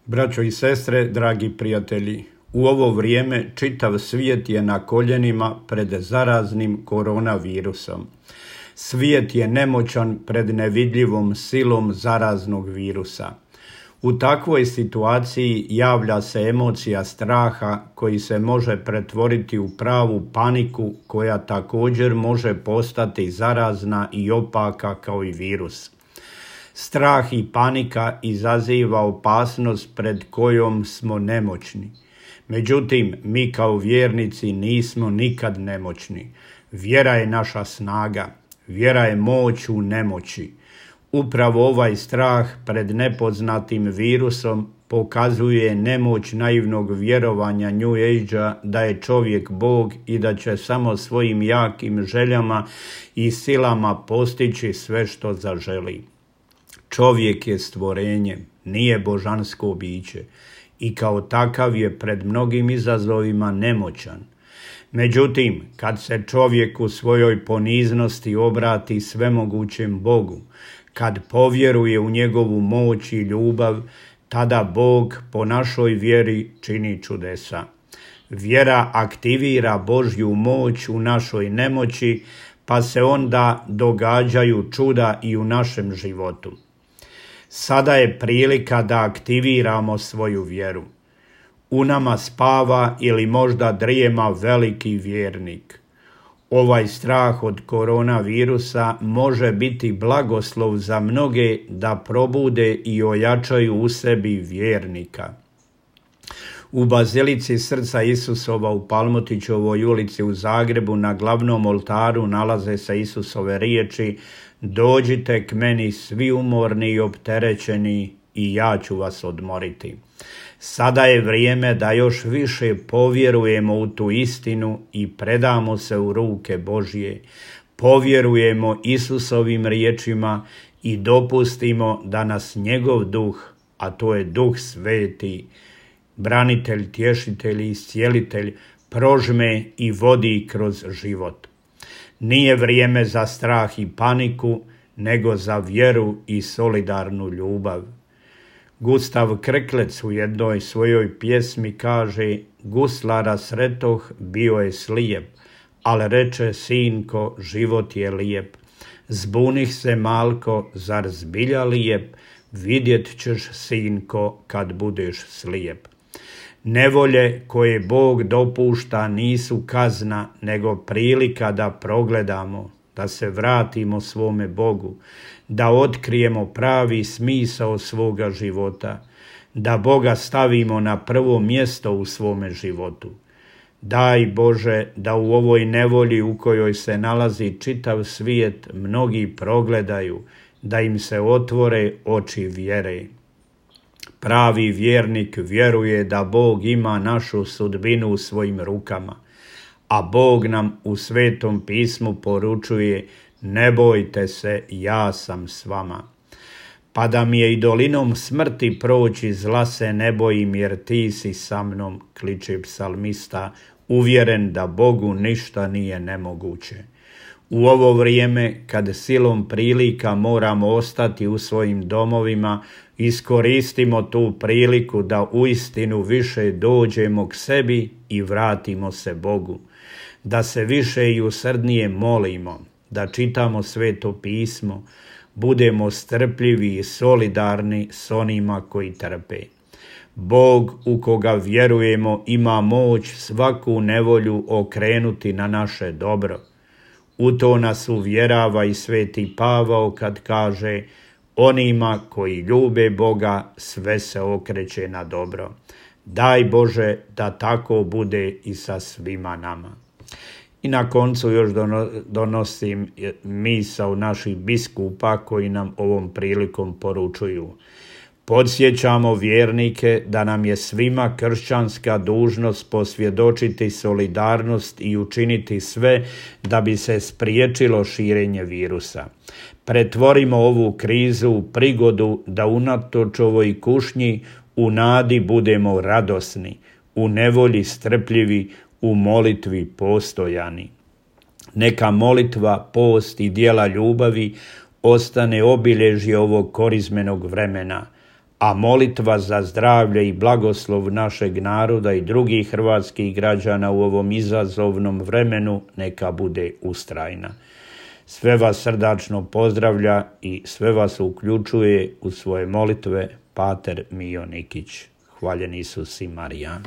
Braćo i sestre, dragi prijatelji, u ovo vrijeme čitav svijet je na koljenima pred zaraznim koronavirusom. Svijet je nemoćan pred nevidljivom silom zaraznog virusa. U takvoj situaciji javlja se emocija straha koji se može pretvoriti u pravu paniku koja također može postati zarazna i opaka kao i virus. Strah i panika izaziva opasnost pred kojom smo nemoćni. Međutim, mi kao vjernici nismo nikad nemoćni. Vjera je naša snaga, vjera je moć u nemoći. Upravo ovaj strah pred nepoznatim virusom pokazuje nemoć naivnog vjerovanja New Age-a da je čovjek Bog i da će samo svojim jakim željama i silama postići sve što zaželi. Čovjek je stvorenje, nije božansko biće i kao takav je pred mnogim izazovima nemoćan. Međutim, kad se čovjek u svojoj poniznosti obrati svemogućem Bogu, kad povjeruje u njegovu moć i ljubav, tada Bog po našoj vjeri čini čudesa. Vjera aktivira Božju moć u našoj nemoći, pa se onda događaju čuda i u našem životu. Sada je prilika da aktiviramo svoju vjeru. U nama spava ili možda drijema veliki vjernik. Ovaj strah od koronavirusa može biti blagoslov za mnoge da probude i ojačaju u sebi vjernika. U Bazilici Srca Isusova u Palmotićevoj ulici u Zagrebu na glavnom oltaru nalaze se Isusove riječi: "Dođite k meni svi umorni i opterećeni i ja ću vas odmoriti." Sada je vrijeme da još više povjerujemo u tu istinu i predamo se u ruke Božje. Povjerujemo Isusovim riječima i dopustimo da nas njegov duh, a to je Duh Sveti, branitelj, tješitelj i iscijelitelj, prožme i vodi kroz život. Nije vrijeme za strah i paniku, nego za vjeru i solidarnu ljubav. Gustav Krklec u jednoj svojoj pjesmi kaže: "Guslara sretoh, bio je slijep, al reče: sinko, život je lijep. Zbunih se malko, zar zbilja lijep, vidjet ćeš, sinko, kad budeš slijep." Nevolje koje Bog dopušta nisu kazna, nego prilika da progledamo, da se vratimo svome Bogu, da otkrijemo pravi smisao svoga života, da Boga stavimo na prvo mjesto u svome životu. Daj Bože da u ovoj nevolji u kojoj se nalazi čitav svijet mnogi progledaju, da im se otvore oči vjere. Pravi vjernik vjeruje da Bog ima našu sudbinu u svojim rukama, a Bog nam u Svetom pismu poručuje: "Ne bojte se, ja sam s vama. Pa da mi je i dolinom smrti proći, zla se ne bojim, jer ti si sa mnom", kliče psalmista, uvjeren da Bogu ništa nije nemoguće. U ovo vrijeme, kad silom prilika moramo ostati u svojim domovima, iskoristimo tu priliku da uistinu više dođemo k sebi i vratimo se Bogu, da se više i usrdnije molimo, da čitamo Sveto pismo, budemo strpljivi i solidarni s onima koji trpe. Bog u koga vjerujemo ima moć svaku nevolju okrenuti na naše dobro. U to nas uvjerava i Sveti Pavao kad kaže: "Onima koji ljube Boga sve se okreće na dobro." Daj Bože da tako bude i sa svima nama. I na koncu još donosim misao naših biskupa koji nam ovom prilikom poručuju: "Podsjećamo vjernike da nam je svima kršćanska dužnost posvjedočiti solidarnost i učiniti sve da bi se spriječilo širenje virusa. Pretvorimo ovu krizu u prigodu da unatoč ovoj kušnji u nadi budemo radosni, u nevolji strpljivi, u molitvi postojani. Neka molitva, post i djela ljubavi ostane obilježje ovog korizmenog vremena, a molitva za zdravlje i blagoslov našeg naroda i drugih hrvatskih građana u ovom izazovnom vremenu neka bude ustrajna. Sve vas srdačno pozdravlja i sve vas uključuje u svoje molitve pater Mijo Nikić. Hvaljen Isus i Marija.